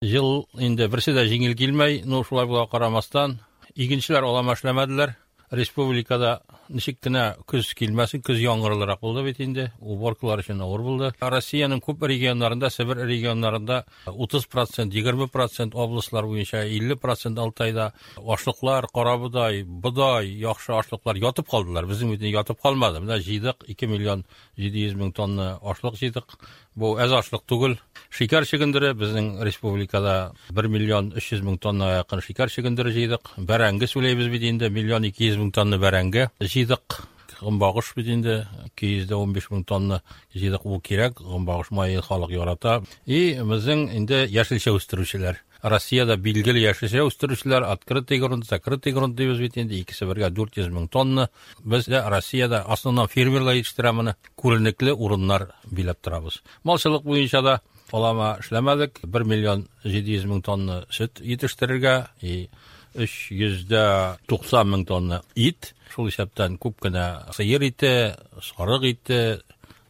Ел инде берсе дә җиңел килмәй, но шулай була карамастан, игенчеләр алама эшләмәделәр. Республикада ничек кенә көз килмәсен, көз яңгырлырак булды бит инде, уборкалар өчен авыр булды. Россиянең күп регионнарында, Себер регионнарында 30%, 20% областлар буенча 50% Алтайда ашлыклар, карабодай, бодай, яхшы ашлыклар ятып калдылар. Безнең бит ятып калмады. Менә җыйдык 2 миллион 700 мең тонна ашлык җыйдык. Бу әз ашлык түгел. Шикәр чөгендере безнең республикада 1 миллион 300 мең тонна якын шикәр чөгендере җыйдык. Бәрәңге сүләйбез бит инде, миллион 200 мең тонна бәрәңге җыйдык. Гомбагыш бит инде 215 мең тонна җыйдык, ул кирәк. Гомбагыш мае халык ярата. И безнең инде яшелчә үстерүчеләр. Россиядә билгеле яшелчә үстерүчеләр, открытый грунт, закрытый грунт дибез бит инде, икесе бергә 400 мең тонна. Бездә Россиядә основном фермерлар җитештерә моны, күренекле урыннар биләп торабыз. Малчылык буенча да алама эшләмәдек, 1 миллион 700 мең тонна сөт җитештерергә и 390 мең тонна ит, шул исәптән күп кенә сыер ите, сарык ите,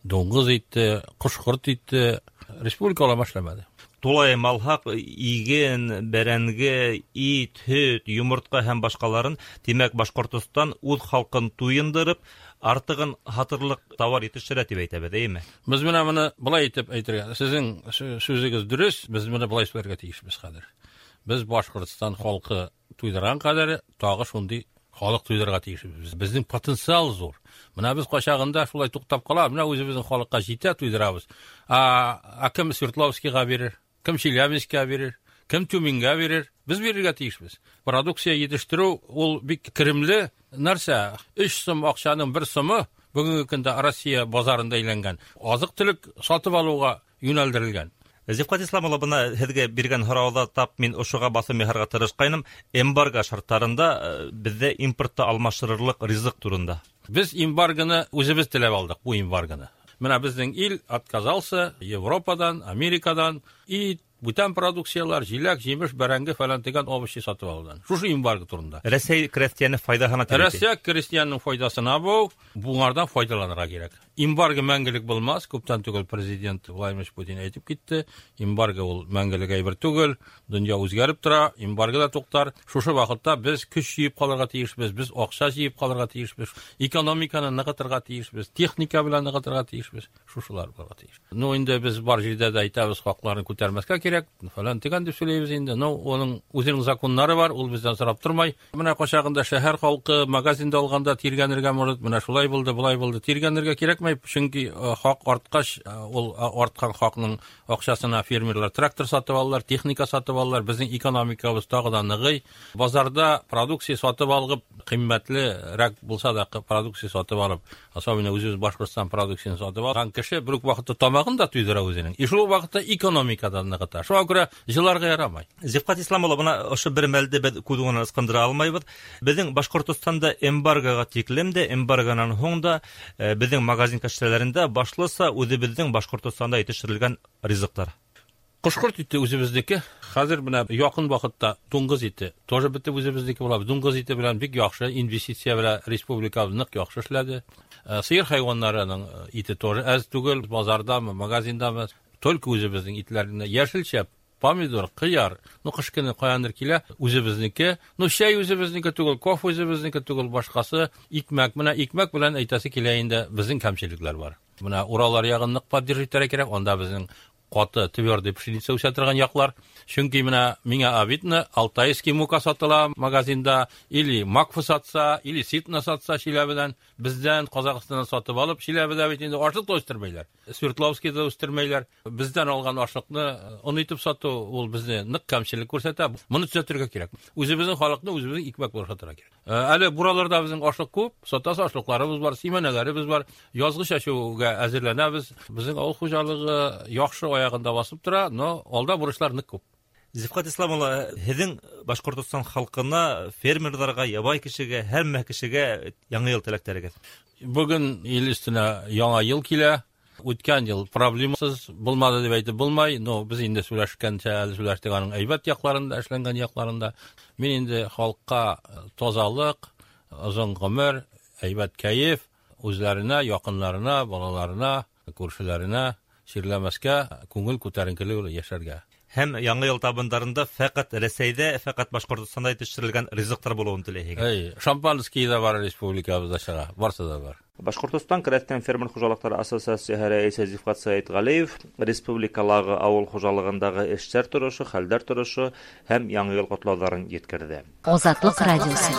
дуңгыз ите, кош-корт ите республика алама эшләмәде. Тулаем алһаҡ, иген, бәрәңге, ит, һөт, йомортҡа һәм башҡаларын, тимәк, Башҡортостан үҙ халҡын туйындырып, артығын һатырлыҡ тауар етештерә тип әйтәбеҙ, эйме? Без менә моны былай итеп әйтергә, сезнең сүзегез дөрес, без моны былай сөйләргә тиешбез хәзер. Без Башкортостан халкы туйдырган кадәр тагы шундый халык туйдырырга тиешбез. Безнең потенциал зур. Менә без кайчагында шулай туктап калабыз, менә үзебезнең халыкка җитә туйдырабыз. А кем Свердловскийга бирер, кем Челябинскка бирер, кем Тюменьгә бирер? Без бирергә тиешбез. Продукция җитештерү ул бик керемле нәрсә. 3 сум акчаның 1 сумы бүгенге көндә Россия базарында әйләнгән. Азык-төлек сатып алуга юнәлдерелгән. Зифҡат Ислам улы, бына һеҙгә биргән һорауҙа тап мин ошоға баҫым яһарға тырышҡайным. Эмбарго шарттарында беҙҙә импортты алмаштырырлыҡ ризыҡ турында. Без эмбаргоны үзебеҙ теләп алдыҡ, бу эмбаргоны. Менә беҙҙең ил отказался Европадан, Америкадан и бүтән продукциялар, җиләк, җимеш, бәрәңге фәлән дигән овощи сатып алудан. Шушы эмбарго турында. Рәсәй крәҫтиәне файҙаһына тип әйтә. Рәсәй крәҫтиәненең файҙасына бу, буңардан файҙаланырға кирәк. Эмбарго мәңгелек булмас, күптән түгел президент Владимир Путин әйтеп китте. Эмбарго ул мәңгелек әйбер түгел, дөнья үзгәреп тора, эмбарго да туктар. Шушы вакытта без көч җыеп калырга тиешбез, без акча җыеп калырга тиешбез, экономиканы ныгытырга тиешбез, техника белән ныгытырга тиешбез. Шушылар булырга тиеш. Ну, инде без бар җирдә дә әйтәбез, хакларын күтәрмәскә кирәк, фәлән дигән дип сөйләйбез инде. Ну, оның үзенең законнары бар, ул бездән сорап тормай. Менә кайчагында шәһәр халкы магазинда алганда тиргәнергә может, менә шулай булды, болай булды. Тиргәнергә кирәкмәй, чөнки хак арткач, ул арткан хакның акчасына фермерлар трактор сатып алалар, техника сатып алалар. Безнең экономикабыз тагы да ныгый. Базарда продукция сатып алып, кыйммәтлерәк булса да продукция сатып алып, особенно үзебез Башкортстан продукциясен сатып алган кеше бер үк вакытта тамагын да туйдыра үзенең. И шул ук вакытта экономикадан ныгыта. Шуңа күрә җыларга ярамай. Зифҡат Ислам улы, бына ошо бер мәлде беҙ күҙ уңынан ысҡындыра алмайбыҙ. Беҙҙең Башҡортостанда эмбаргоға тиклем дә, эмбаргонан һуң да беҙҙең магазин кәштәләрендә башлыса үҙебеҙҙең Башҡортостанда етештерелгән ризыҡтар. Ҡош-ҡорт ите үҙебеҙҙеке. Хәҙер менә яҡын ваҡытта дуңғыҙ ите тоже бөтә үҙебеҙҙеке була. Дуңғыҙ ите белән бик яҡшы инвестиция белән республика ныҡ яҡшы эшләде. Сыйыр хайуаннарының ите тоже әҙ түгел, базардамы, магазиндамы, только үҙебеҙҙең итләренә йәшелсә, помидор, ҡыяр, ну ҡыш көнө ҡаяндыр килә, үҙебеҙнеке. Ну чәй үҙебеҙнеке түгел, кофе үҙебеҙнеке түгел, башҡасы икмәк. Менә икмәк белән әйтәсе килә инде, беҙҙең кәмселекләр бар. Менә Уралар яғын ныҡ поддерживать итергә кәрәк, унда беҙҙең ҡаты твердый пшеница үсә торған яҡлар. Чөнки менә миңә обидно, алтайский мука сатыла магазинда, или макфа сатса, или ситна сатса Чиләбедән, бездән Казахстаннан сатып алып, Чиләбедә бит инде ашлык та үстермәйләр. Свердловскийда үстермәйләр. Бездән алган ашлыкны он итеп сату ул безне нык кәмчелек күрсәтә. Моны төзәтергә кирәк. Үзебезнең халыкны үзебезнең икмәк белән сатырга кирәк. Әле бураларда безнең ашлык күп, сатасы ашлыкларыбыз бар, симәнәләребез бар. Язгы чәчүгә әзерләнәбез. Безнең авыл хуҗалыгы яхшы аягында басып тора, но алда бурычлар нык күп. Зифҡат Ислам улы, һеҙҙең Башҡортостан халҡына, фермерҙарға, ябай кешегә, һәммә кешегә яңы йыл теләктәрегеҙ. Бөгөн ил өҫтөнә яңа йыл килә. Үткән йыл проблемасыз булмады дип әйтеп булмай, но без инде сөйләшкәнчә әле сөйләштек аның әйбәт яҡларында, эшләнгән яҡларында. Мин инде халҡҡа тазалыҡ, озон ғүмер, әйбәт кәйеф, үзләренә, яҡынларына, балаларына, күршеләренә чирләмәскә, күңел күтәренкелеге белән яшәргә. Һәм Яңа ел табындарында фәкать Рәсәйдә, фәкать Башкортостанда җитештерелгән ризыктар булуын теләйһегеҙ. Эй, шампанский да бар республикабыҙҙа сыға, барсы да бар. Башҡортостан крәҫтиән фермер хужалыҡтары ассоциацияһы рәйесе Зифҡат Сәйетғәлиев республикалағы ауыл хужалығындағы эштәр торошо, хәлдәр торошо һәм яңы йыл ҡотлауҙарын еткерҙе. Азатлык радиосы.